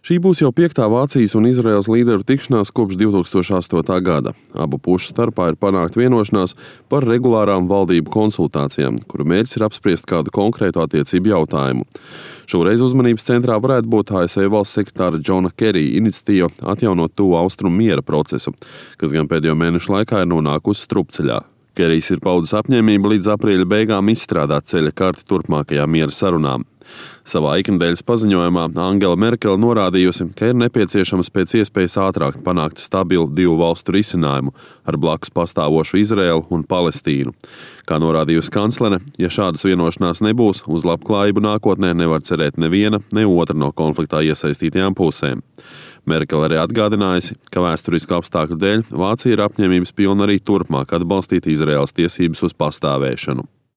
Šī būs jau 5. Vācijas un Izraēlas līderu tikšanās kopš 2008. gada. Abu pušu starpā ir panākt vienošanās par regulārām valdību konsultācijām, kuru mērķis ir apspriest kādu konkrētu attiecību jautājumu. Šoreiz uzmanības centrā varētu būt ASV valsts sekretāra Džona Kerija iniciatīva atjaunot tuvu austrumu miera procesu, kas gan pēdējo mēnešu laikā ir nonākusi strupceļā. Kerijs ir paudis apņēmību līdz aprīļa beigām izstrādāt ceļa karti turpmākajām miera sarunām. Savā ikdienas paziņojumā Angela Merkele norādījusi, ka ir nepieciešams pēc iespējas ātrāk panākt stabilu divu valstu risinājumu ar blakus pastāvošu Izraēlu un Palestīnu. Kā norādījusi kanclere, ja šādas vienošanās nebūs, uz labklājību nākotnē nevar cerēt neviena, ne otra no konfliktā iesaistītajām pusēm. Merkele arī atgādinājusi, ka vēsturisku apstākļu dēļ Vācija ir apņēmības pilna arī turpmāk atbalstīt Izraēlas tiesības uz pastāvēšanu.